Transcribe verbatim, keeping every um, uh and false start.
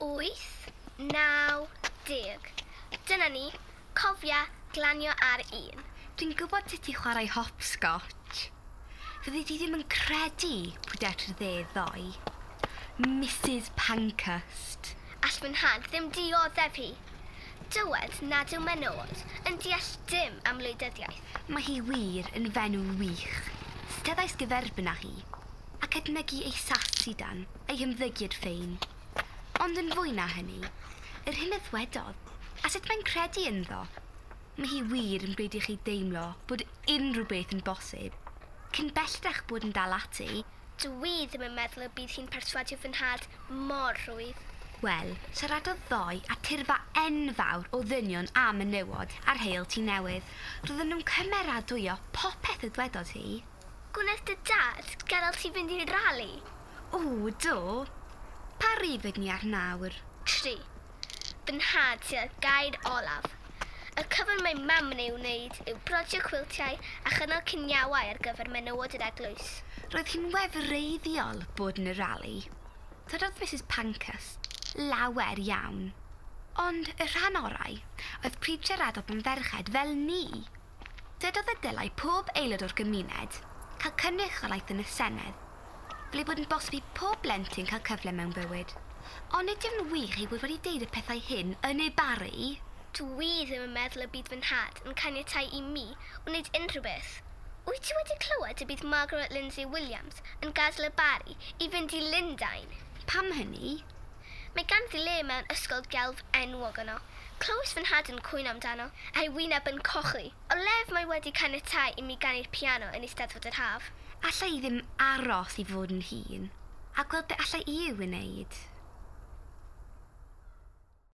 Wyth, naw, deg. Dyna ni. Cofia, glanio ar un. Dwi'n gwybod sut i chwarae hopscotch. Fyddi di ddim yn credu pwy daeth i'r dde ddoe. Mrs Pankhurst. All fy nhad ddim dioddef hi. Dywed nad yw menywod yn deall dim am wleidyddiaeth. Mae hi wir yn fenyw wych. Steddais gyferbyn â hi, ac edmygu ei sasidan, ei hymddygiad ffein. Ond yn fwy na hynny, yr hyn a ddwedodd, a sut mae'n credu ynddo. Mae hi wir yn gwneud i chi deimlo bod unrhyw beth yn bosib, cyn belled â'ch bod yn dal ati. Dwi ddim yn meddwl y bydd hi'n perswadio fy nhad mor rhwydd. Wel, siaradodd ddoe â tyrfa enfawr o ddynion a menywod ar Heol Tŷ Newydd. Roedden nhw'n cymeradwyo popeth y ddwedodd hi. Gwnaeth dy dad gadael ti fynd i'r rali? O, do. Pa rif ydyn ni ar nawr? Tri. Fy nhad sydd â'r gair olaf. Y cyfan mae mam yn ei wneud yw brodio cwiltiau a chynnal ciniawau ar gyfer menywod yr eglwys. Roedd hi'n wefreiddiol bod yn y rali. Dywedodd Mrs Pankhurst lawer iawn. Ond y rhan orau oedd pryd siaradodd am ferched fel ni. Dywedodd y dylai pob aelod o'r gymuned cael cynrychiolaeth yn y Senedd, fel ei bod yn bosib i pob blentyn cael cyfle mewn bywyd. Ond nid yw'n wych ei bod wedi deud y pethau hyn yn ei Barri. Dwi ddim yn meddwl y bydd fy nhad yn caniatáu i mi wneud unrhyw beth. Wyt ti wedi clywed y bydd Margaret Lindsay Williams yn gadael y Barri i fynd i Lundain? Pam hynny? Mae ganddi le mewn ysgol gelf enwog yno. Clywais fy nhad yn cwyno amdano, a'i wyneb yn cochi. O lef mae wedi caniatáu i mi ganu'r piano yn Eisteddfod yr Haf. Alla i ddim aros i fod yn hŷn, a gweld be alla i i'w wneud.